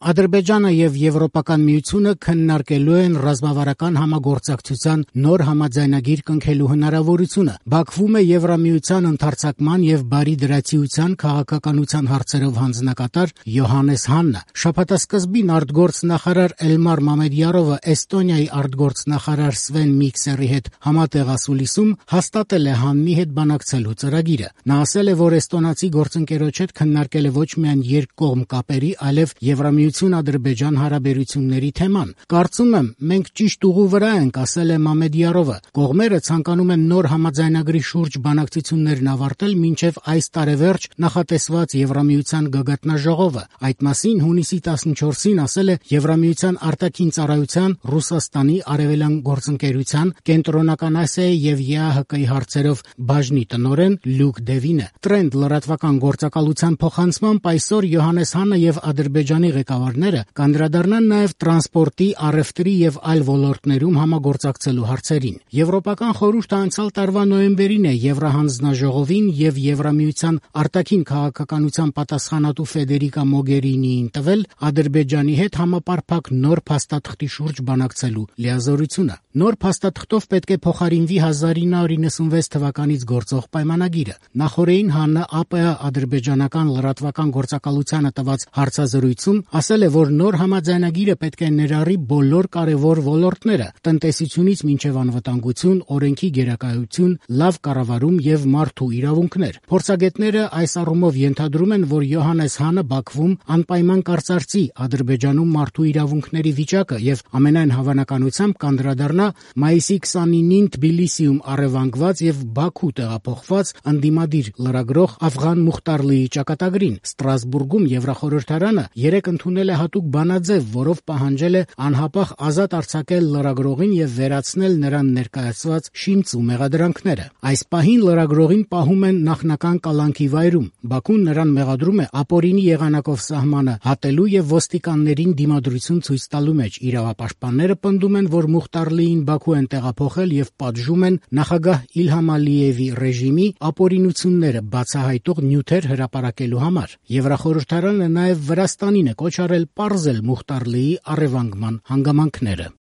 Ադրբեջանը եւ Եվրոպական միությունը քննարկելու են ռազմավարական համագործակցության նոր համաձայնագիր կնքելու հնարավորությունը։ Բաքվում է Եվրամիության ընդարձակման եւ բարի դրացիության քաղաքականության հարցերով հանձնակատար Յոհանես Հաննը։ Շաբաթասկզբին արտգործնախարար Էլմար Մամեդյարովը Էստոնիայի արտգործնախարար Սվեն Միքսերի հետ համատեղ ասուլիսում հաստատել է Հաննի հետ բանակցելու ծրագիրը։ Նա ասել է, որ էստոնացի գործընկերոջ հետ քննարկել է ոչ միայն երկկողմ կապերի, այլև Եվրամիություն-Ադրբեջան հարաբերությունների թեման։ Կարծում եմ, մենք ճիշտ ուղու վրա ենք, ասել է Մամեդյարովը։ Կողմերը ցանկանում են նոր համաձայնագրի շուրջ բանակցություններն ավարտել մինչև այս տարեվերջ նախատեսված Եվրամիության գագաթնաժողովը։ Այդ մասին հունիսի 14-ին ասել է Եվրամիության արտաքին ծառայության, Ռուսաստանի արևելյան գործընկերության, Կենտրոնական Ասիայի եւ ԵԱՀԿ-ի հարցերով բաժնի տնօրեն Լյուկ Դևինը։ Տրենդ լրատվական գործակալության փոխանցմամբ այսօր Յոհանես Հաննը եւ Ադրբեջանի ղեկավարները կանդրադառնան նաեւ տրանսպորտի, առևտրի եւ այլ ոլորտներում համագործակցելու հարցերին։ Եվրոպական խորհուրդը անցյալ տարվա նոյեմբերին է Եվրահանձնաժողովին եւ Եվրամիության արտաքին քաղաքականության պատասխանատու Ֆեդերիկա Մոգերինիին տվել Ադրբեջանի հետ համապարփակ նոր փաստաթղթի շուրջ բանակցելու լիազորությունը։ Նոր փաստաթղթով պետք է փոխարինվի 1996 թվականից գործող պայմանագիրը։ Նախորդին Հաննը ԱՊՀ ադրբեջանական լրատվական գործակալությանը տված հարցազրույցում ասել է, որ նոր համաձայնագիրը պետք է ներառի բոլոր կարևոր ոլորտները՝ տնտեսությունից մինչև անվտանգություն, օրենքի գերակայություն, լավ կառավարում եւ մարդու իրավունքներ։ Փորձագետները այս առումով ենթադրում են, որ Յոհանես Հաննը Բաքվում անպայման կարծարծի Ադրբեջանում մարդու իրավունքների վիճակը եւ ամենայն հավանականությամբ կանդրադառնա մայիսի 29-ին Թբիլիսիում առևանգված եւ Բաքու տեղափոխված ընդդիմադիր լրագրող Աֆղան Մուխտարլիի ճակատագրին։ Ստրասբուրգում Եվրախորհրդարանը երեկ ընդունել է հատուկ բանաձև, որով պահանջել է անհապաղ ազատ արձակել լրագրողին եւ վերացնել նրան ներկայացված շիմց ու մեղադրանքները։ Այս պահին լրագրողին պահում են նախնական կալանքի վայրում։ Բաքուն նրան մեղադրում է ապօրինի եղանակով սահմանը հատելու եւ ոստիկաններին դիմադրություն ցույց տալու մեջ։ Իրավապաշտպանները պնդում են, որ Մուխտարլիին Բաքու են տեղափոխել եւ պատժում են նախագահ Իլհամ Ալիևի ռեժիմի ապօրինությունները բացահայտող նյութեր հրապարակելու համար։ Եվրախորհրդարանը նաեւ Վրաստանին է կոչ արել պարզել Մուխտարլիի առևանգման հանգամանքները։